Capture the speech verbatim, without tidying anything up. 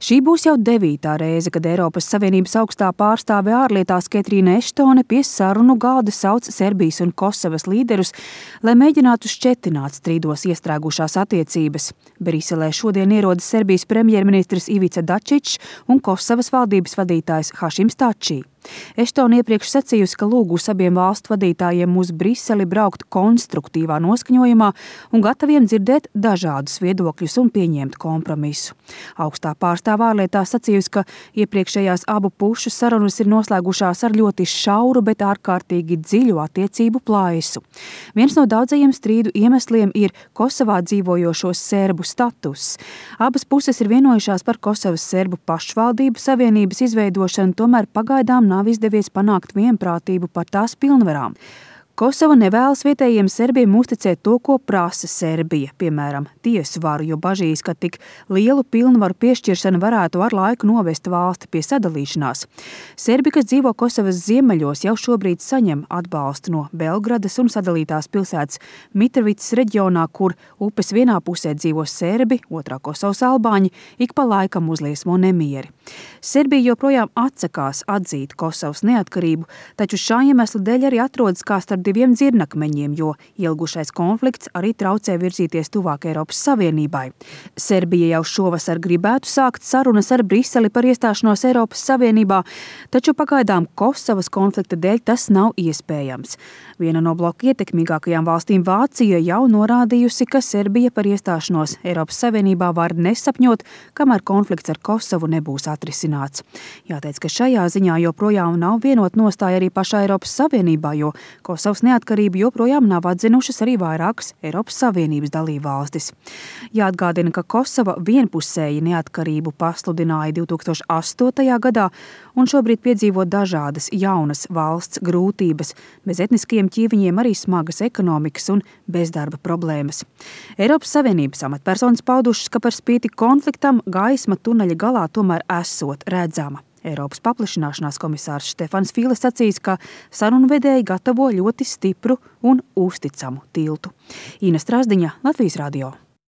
Šī būs jau devītā reize, kad Eiropas Savienības augstā pārstāve ārlietās Ketrīna Eštone pie sarunu galda sauc Serbijas un Kosovas līderus, lai mēģinātu šķetināt strīdos iestrēgušās attiecības. Briselē šodien ierodas Serbijas premjerministrs Ivica Dačičs un Kosovas valdības vadītājs Hašims Tači. Eštone iepriekš sacījusi, ka lūgus abiem valstu vadītājiem uz Briseli braukt konstruktīvā noskaņojumā un gataviem dzirdēt dažādus viedokļus un pieņemt kompromisu. Augstā pārstāvē ārlietās sacījusi, ka iepriekšējās abu pušu sarunas ir noslēgušās ar ļoti šauru, bet ārkārtīgi dziļu attiecību plaisu. Viens no daudzajiem strīdu iemesliem ir Kosovā dzīvojošo serbu status. Abas puses ir vienojušās par Kosovas serbu pašvaldību savienības izveidošanu, tomēr pagaidām nav izdevies panākt vienprātību par tās pilnvarām. Kosova nevēlas vietējiem serbiem uzticēt to, ko prasa Serbija, piemēram, tiesu varu, jo bažīs, ka tik lielu pilnvaru piešķiršana varētu ar laiku novest valsti pie sadalīšanās. Serbi, kas dzīvo Kosovas ziemeļos, jau šobrīd saņem atbalstu no Belgradas un sadalītās pilsētas Mitrovicas reģionā, kur upes vienā pusē dzīvo serbi, otrā Kosovas albāņi, ik pa laikam uzliesmo nemieri. Serbija joprojām atsakās atzīt Kosovas neatkarību, taču šā iemesla dēļ arī atrodas kā starp diviem dzirnakmeņiem, jo ilgušais konflikts arī traucē virzīties tuvāk Eiropas Savienībai. Serbija jau šovasar gribētu sākt sarunas ar Briseli par iestāšanos Eiropas Savienībā, taču pagaidām Kosovas konflikta dēļ tas nav iespējams. Viena no bloka ietekmīgākajām valstīm, Vācija, jau norādījusi, ka Serbija par iestāšanos Eiropas Savienībā var nesapņot, kamēr konflikts ar Kosovu nebūs atrisināts. Jāteic, ka šajā ziņā joprojām nav vienot nostāja arī pašā Eiropas Savienībā, jo Kosovas neatkarību joprojām nav atzinušas arī vairākas Eiropas Savienības dalībvalstis. Jāatgādina, ka Kosova vienpusēji neatkarību pasludināja divi tūkstoši astotajā gadā un šobrīd piedzīvo dažādas jaunas valsts grūtības, bez etniskiem ķīviņiem arī smagas ekonomikas un bezdarba problēmas. Eiropas Savienības amatpersonas paudušas, ka par spīti konfliktam gaisma tuneļa galā tomēr esot redzama. Eiropas paplašināšanās komisārs Štefans Fīle sacīs, ka sarunvedēji gatavo ļoti stipru un uzticamu tiltu. Ina Strasdiņa, Latvijas radio.